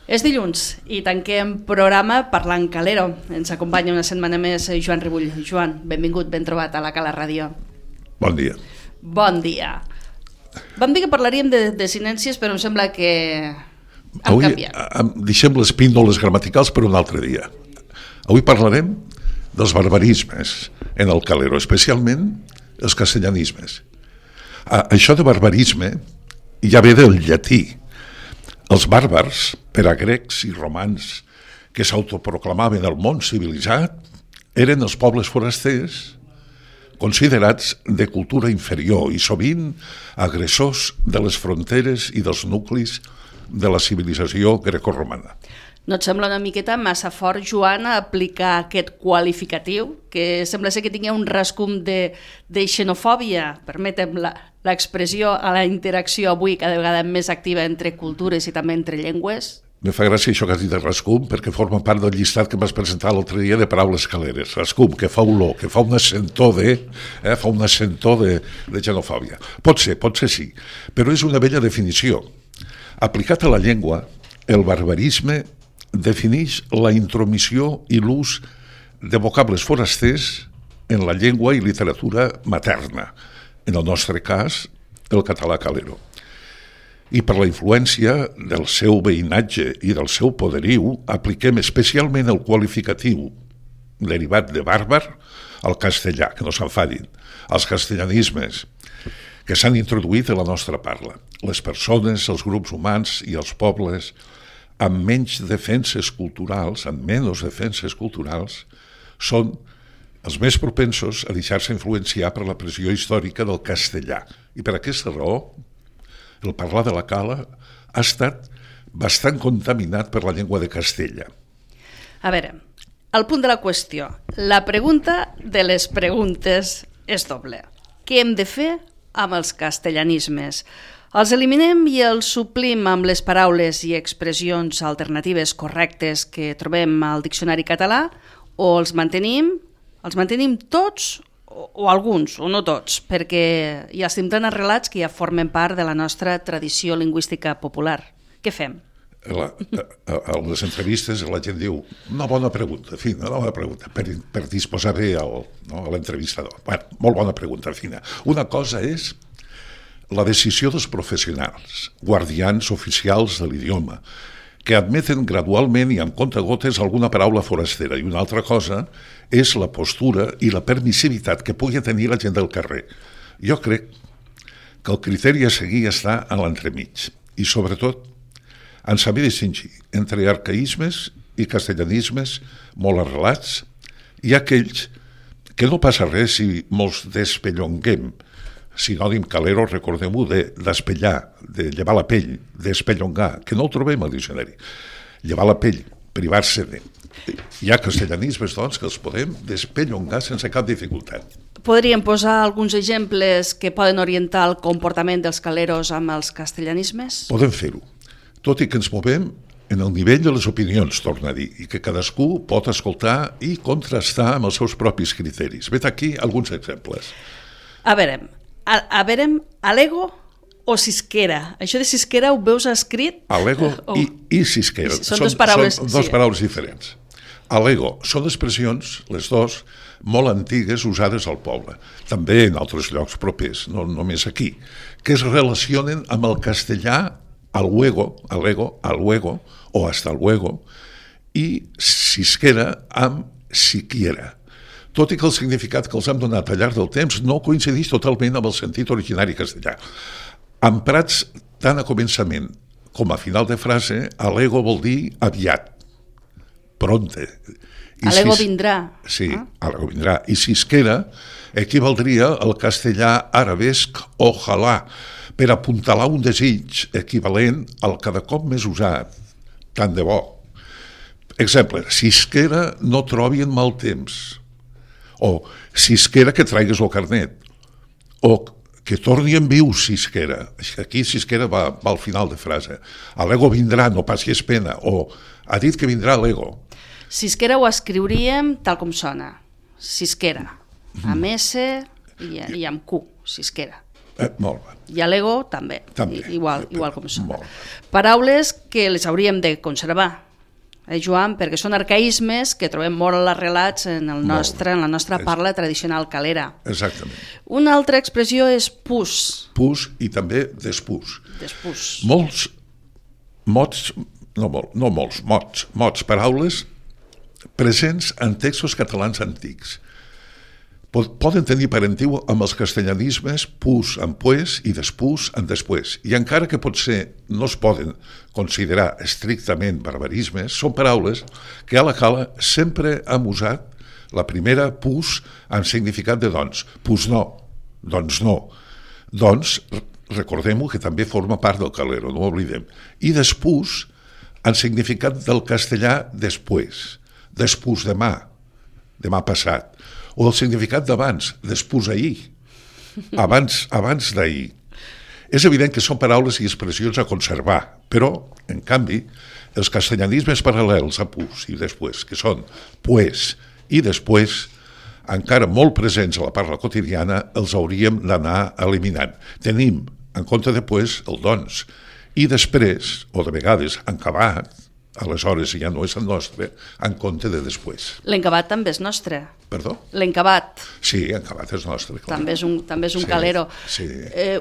És dilluns i tanquem programa parlant calero. Ens acompanya una setmana més Joan Ribull. Joan, benvingut, ben trobat a la Cala Ràdio. Bon dia. Bon dia. Vam dir que parlaríem de sinències, però em sembla que hem canviat. Deixem les píndoles gramaticals per un altre dia. Avui parlarem dels barbarismes en el calero, especialment els castellanismes. Això de barbarisme ja ve del llatí. Els bàrbars, per a grecs i romans que s'autoproclamaven el món civilitzat, eren els pobles forasters considerats de cultura inferior i sovint agressors de les fronteres i dels nuclis de la civilització grecorromana. No et sembla una miqueta massa fort, Joan, aplicar aquest qualificatiu, que sembla ser que tingui un rascum de xenofòbia, permetem l'expressió, a la interacció avui cada vegada més activa entre cultures i també entre llengües? Me fa gràcia això que has dit de rascum, perquè forma part del llistat que m'has presentat l'altre dia de paraules caleres. Rascum, que fa olor, que fa un assentor de xenofòbia. Pot ser sí, però és una bella definició. Aplicat a la llengua, el barbarisme defineix la intromissió i l'ús de vocables forasters en la llengua i literatura materna, en el nostre cas, el català calero. I per la influència del seu veïnatge i del seu poderiu, apliquem especialment el qualificatiu derivat de bàrbar al castellà, que no s'enfadin, als castellanismes que s'han introduït a la nostra parla. Les persones, els grups humans i els pobles amb menys defenses culturals, són els més propensos a deixar-se influenciar per la pressió històrica del castellà. I per aquesta raó, el parlar de la Cala ha estat bastant contaminat per la llengua de Castella. A veure, el punt de la qüestió. La pregunta de les preguntes és doble. Què hem de fer amb els castellanismes? Els eliminem i els suplim amb les paraules i expressions alternatives correctes que trobem al diccionari català, o els mantenim tots o alguns, o no tots, perquè ja estem tan arrelats que ja formen part de la nostra tradició lingüística popular. Què fem? A les entrevistes la gent diu una bona pregunta, fina, per disposar bé a l'entrevistador. Molt bona pregunta, fina. Una cosa és la decisió dels professionals, guardians oficials de l'idioma, que admeten gradualment i amb comptagotes alguna paraula forastera, i una altra cosa és la postura i la permissivitat que pugui tenir la gent del carrer. Jo crec que el criteri a seguir està en l'entremig, i sobretot en saber distingir entre arcaïsmes i castellanismes molt arrelats i aquells que no passa res si molts despellonguem. Sinònim calero, recordem-ho, d'espellar, de llevar la pell, d'espellongar, que no ho trobem al diccionari. Llevar la pell, privar-se de. Hi ha castellanismes, doncs, que els podem despellongar sense cap dificultat. Podríem posar alguns exemples que poden orientar el comportament dels caleros amb els castellanismes? Podem fer-ho, tot i que ens movem en el nivell de les opinions, torna a dir, i que cadascú pot escoltar i contrastar amb els seus propis criteris. Vet aquí alguns exemples. A veure, alego o cisquera? Això de cisquera ho veus escrit? Alego i cisquera. Són dues paraules, paraules diferents. Alego són expressions, les dues, molt antigues usades al poble, també en altres llocs propers, no només aquí, que es relacionen amb el castellà alego o hasta luego, i cisquera amb siquiera. Tot i que el significat que els hem donat al llarg del temps no coincideix totalment amb el sentit originari castellà. Emprats tant a començament com a final de frase, alego vol dir aviat, pronte. Alego vindrà. Sí, alego vindrà. I cisquera equivaldria al castellà arabesc ojalà, per apuntalar un desig equivalent al cada cop més usat, tant de bo. Exemple, cisquera no trobin mal temps, o cisquera que traigues el carnet, o que torni en viu cisquera. Aquí cisquera va al final de frase. Alego vindrà, no passis pena, o ha dit que vindrà l'ego. Cisquera ho escriuríem tal com sona, cisquera, amb S i amb Q, cisquera. Molt bé. I a l'ego també. També. Igual com són. Molt bé. Paraules que les hauríem de conservar, Joan, perquè són arcaïsmes que trobem molt arrelats en la nostra parla tradicional calera. Exactament. Una altra expressió és pus. Pus i també despús. Despús. Molts mots, mots, paraules presents en textos catalans antics. Poden tenir parentiu amb els castellanismes pus en pues i despús en després. I encara que potser no es poden considerar estrictament barbarismes, són paraules que a la cala sempre hem usat la primera pus en significat de doncs. Pus no, doncs no. Doncs, recordem-ho que també forma part del calero, no ho oblidem. I despús en significat del castellà després. Despús demà passat. O el significat d'abans, despús ahir, abans d'ahir. És evident que són paraules i expressions a conservar, però, en canvi, els castellanismes paral·lels a pus i després, que són pues i després, encara molt presents a la parla quotidiana, els hauríem d'anar eliminant. Tenim, en compte de pues, el doncs, i després, o de vegades, encabat, aleshores ja no és el nostre, en compte de després. L'encabat també és nostre. Perdó? L'encabat. Sí, encabat és nostre. Clar. També és un calero. Sí.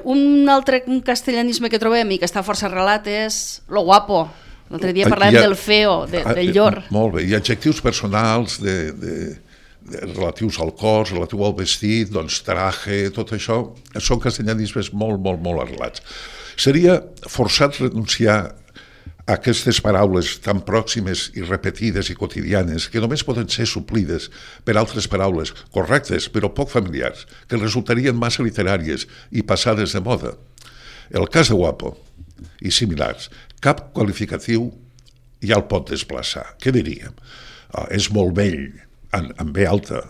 Un altre castellanisme que trobem i que està força arrelat és lo guapo. L'altre dia parlàvem del feo, del llor. Molt bé, i adjectius personals relatius al cos, relatiu al vestit, doncs traje, tot això, són castellanismes molt arrelats. Seria forçat renunciar aquestes paraules tan pròximes i repetides i quotidianes que només poden ser suplides per altres paraules correctes però poc familiars, que resultarien massa literàries i passades de moda. El cas de guapo i similars, cap qualificatiu ja el pot desplaçar. Què diríem? És molt vell, en B alta,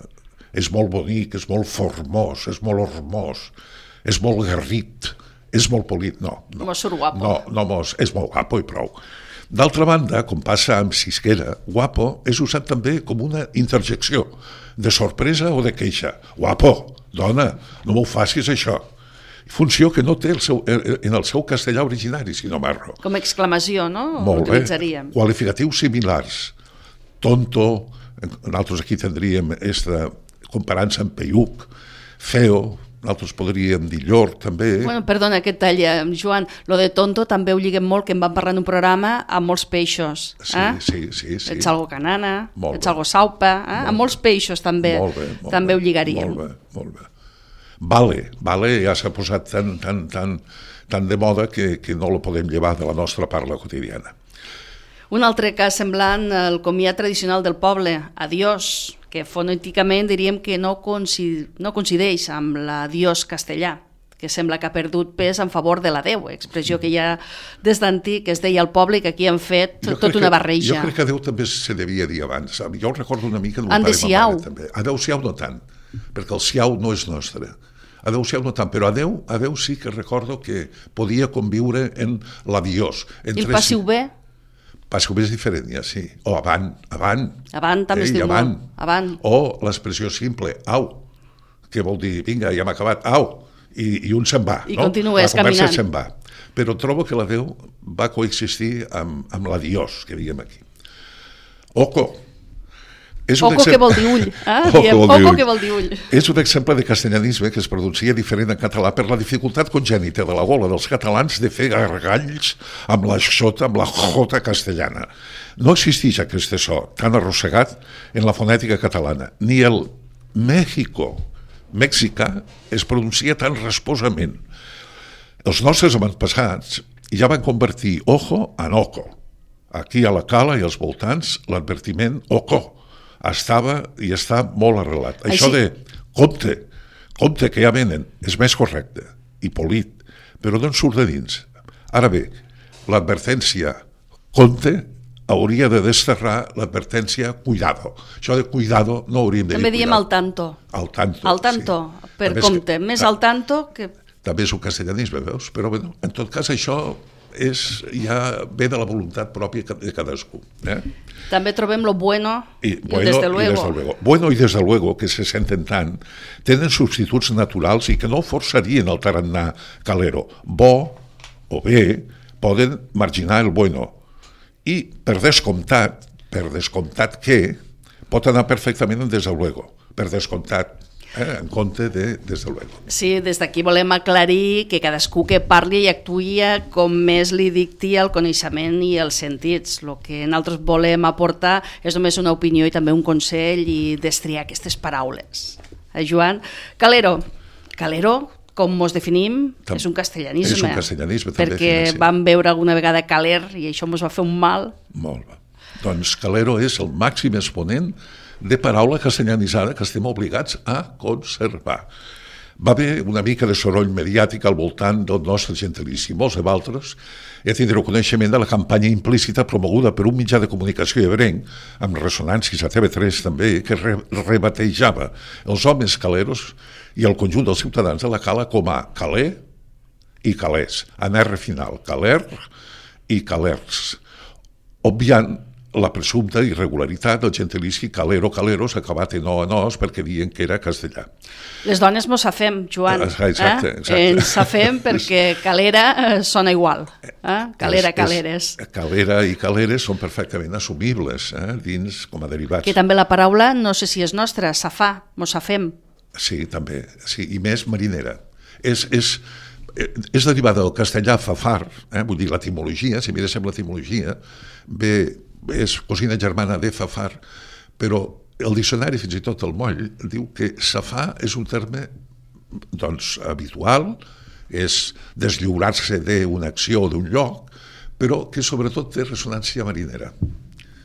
és molt bonic, és molt formós, és molt hormós, és molt garrit, és molt polit, no. Mos surt guapo. No, és molt guapo i prou. D'altra banda, com passa amb Sisquera, guapo és usat també com una interjecció de sorpresa o de queixa. Guapo, dona, no m'ho facis això. Funció que no té en el seu castellà originari, si no m'erro. Com a exclamació, no? Molt bé. Utilitzaríem. Qualificatius similars. Tonto, nosaltres aquí tindríem comparant-se amb peiuc, feo, nosaltres podríem dir llor, també. Bueno, perdona que et talla, Joan, lo de tonto també ho lliguem molt, que em van parlar en un programa amb molts peixos. Sí. Ets algo canana, ets algo saupa, amb molts peixos també ho lligaríem. Molt bé. Vale ja s'ha posat tan de moda que no lo podem llevar de la nostra parla quotidiana. Un altre cas semblant, el comiat tradicional del poble, adiós, que fonèticament diríem que no coincideix amb l'adiós castellà, que sembla que ha perdut pes en favor de l'adeu, expressió que ja des d'antic es deia al poble i que aquí han fet tota una barreja. Jo crec que adeu també se devia dir abans. Jo recordo una mica... Adeu-siau. Adeu-siau no tant, perquè el siau no és nostre. Adeu-siau no tant, però adeu sí que recordo que podia conviure en l'adiós. I el passiu bé? Passiu bé és diferent, ja sí. O avant. Avant també es diu molt. Avant. O l'expressió simple, au, que vol dir, vinga, ja hem acabat, au, i un se'n va. I continues caminant. La conversa se'n va. Però trobo que l'adeu va coexistir amb l'adiós, que diguem aquí. Oco. Oco que vol dir ull. Oco que vol dir ull. És un exemple de castellanisme que es pronuncia diferent en català per la dificultat congènita de la gola dels catalans de fer gargalls amb la jota castellana. No existeix aquest so tan arrossegat en la fonètica catalana. Ni el mexicà es pronuncia tan rasposament. Els nostres avantpassats ja van convertir ojo en oco. Aquí a la cala i als voltants l'advertiment oco estava i està molt arrelat. Això de compte que ja venen, és més correcte i polit, però d'on surt de dins? Ara bé, l'advertència compte hauria de desterrar l'advertència cuidado. Això de cuidado no hauríem de dir. També diem al tanto. Al tanto, sí. Per compte, més al tanto que... També és un castellanisme, veus? Però bueno, en tot cas això ja ve de la voluntat pròpia de cadascú. També trobem lo bueno i bueno, desde luego. Bueno i desde luego, que se senten tant, tenen substituts naturals i que no forçarien el tarannà calero. Bo o bé poden marginar el bueno. I per descomptat que pot anar perfectament en desde luego, per descomptat, en compte de desde luego. Sí, des d'aquí volem aclarir que cadascú que parli i actuï com més li dicti el coneixement i els sentits. El que nosaltres volem aportar és només una opinió i també un consell i destriar aquestes paraules. Joan? Calero, com ens definim, és un castellanisme. És un castellanisme, també. Perquè vam veure alguna vegada caler i això ens va fer un mal. Molt bé. Doncs calero és el màxim exponent de paraula castellanitzada que estem obligats a conservar. Va haver una mica de soroll mediàtic al voltant del nostre gentilici. Molts de vosaltres tindreu coneixement de la campanya implícita promoguda per un mitjà de comunicació ebrenc, amb ressonàncies a TV3 també, que rebatejava els homes caleros i el conjunt dels ciutadans de la cala com a caler i calers, en R final, caler i calers, obviant la presumpta irregularitat del gentilici calero-caleros acabat en o-nos perquè diuen que era castellà. Les dones mos safem, Joan. Exacte. Ens safem perquè calera sona igual. Calera, caleres. Calera i caleres són perfectament assumibles dins com a derivats. Que també la paraula, no sé si és nostra, safar, mos safem. Sí, també. Sí, i més marinera. És derivada del castellà fafar, vull dir l'etimologia, si miréssim l'etimologia, és cosina germana de fafar, però el diccionari, fins i tot el moll, diu que safar és un terme habitual, és deslliurar-se d'una acció o d'un lloc, però que sobretot té ressonància marinera.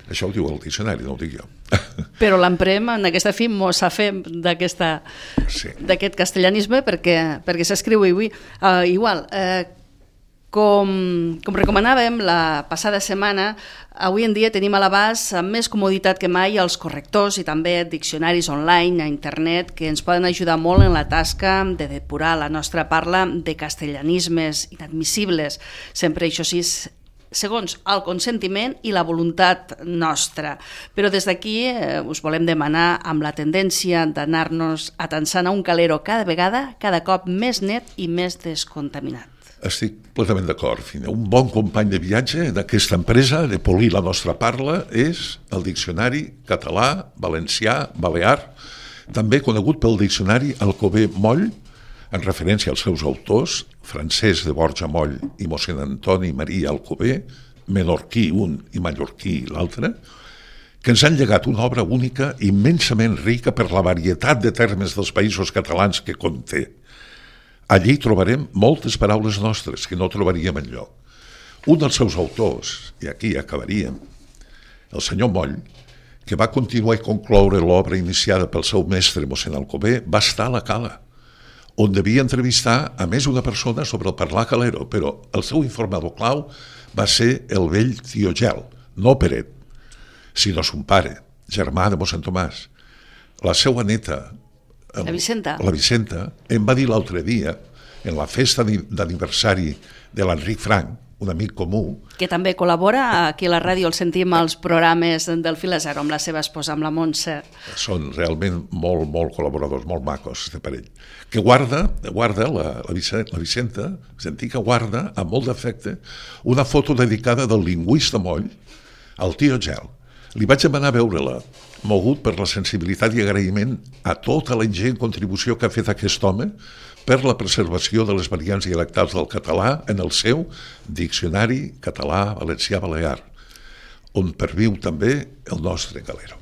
Això ho diu el diccionari, no ho dic jo. Però l'emprem en aquesta fi, mos safem d'aquest castellanisme perquè s'escriu igual. Com recomanàvem la passada setmana, avui en dia tenim a l'abast amb més comoditat que mai els correctors i també diccionaris online a internet que ens poden ajudar molt en la tasca de depurar la nostra parla de castellanismes inadmissibles, sempre això sí, segons el consentiment i la voluntat nostra. Però des d'aquí us volem demanar, amb la tendència d'anar-nos atansant a un calero cada vegada, cada cop més net i més descontaminat. Estic plenament d'acord. Un bon company de viatge d'aquesta empresa de polir la nostra parla és el diccionari català, valencià, balear, també conegut pel diccionari Alcover Moll, en referència als seus autors, Francesc de Borja Moll i mossèn Antoni Maria Alcover, menorquí un i mallorquí l'altre, que ens han llegat una obra única immensament rica per la varietat de termes dels països catalans que conté. Allí trobarem moltes paraules nostres que no trobaríem enlloc. Un dels seus autors, i aquí acabaríem, el senyor Moll, que va continuar i concloure l'obra iniciada pel seu mestre mossèn Alcover, va estar a la cala, on devia entrevistar a més una persona sobre el parlar calero, però el seu informador clau va ser el vell tio Gel, no Peret, sinó son pare, germà de mossèn Tomàs. La seva neta, la Vicenta, em va dir l'altre dia, en la festa d'aniversari de l'Enric Frank, un amic comú... Que també col·labora aquí a la ràdio, el sentim als programes del Fil a Zero, amb la seva esposa, amb la Montse. Són realment molt col·laboradors, molt macos, este parell. Que guarda la Vicenta, sentir que guarda, amb molt d'afecte, una foto dedicada del lingüista Moll al tio Gel. Li vaig demanar veure-la, mogut per la sensibilitat i agraïment a tota la ingent contribució que ha fet aquest home per la preservació de les variants dialectals del català en el seu Diccionari Català-Valencià-Balear, on perviu també el nostre calero.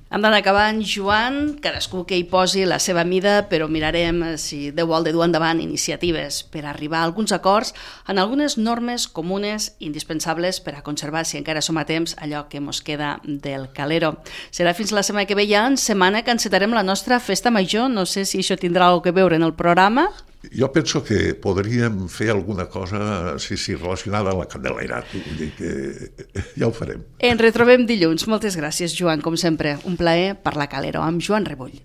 Hem d'anar acabant, Joan, cadascú que hi posi la seva mida, però mirarem si Déu vol de dur endavant iniciatives per arribar a alguns acords en algunes normes comunes indispensables per a conservar, si encara som a temps, allò que mos queda del calero. Serà fins la setmana que ve, ja en setmana que encetarem la nostra festa major. No sé si això tindrà alguna cosa a veure en el programa. Jo penso que podríem fer alguna cosa relacionada amb la Candelera, vull dir que ja ho farem. Ens retrobem dilluns. Moltes gràcies, Joan, com sempre. Un plaer parlar calero amb Joan Rebull.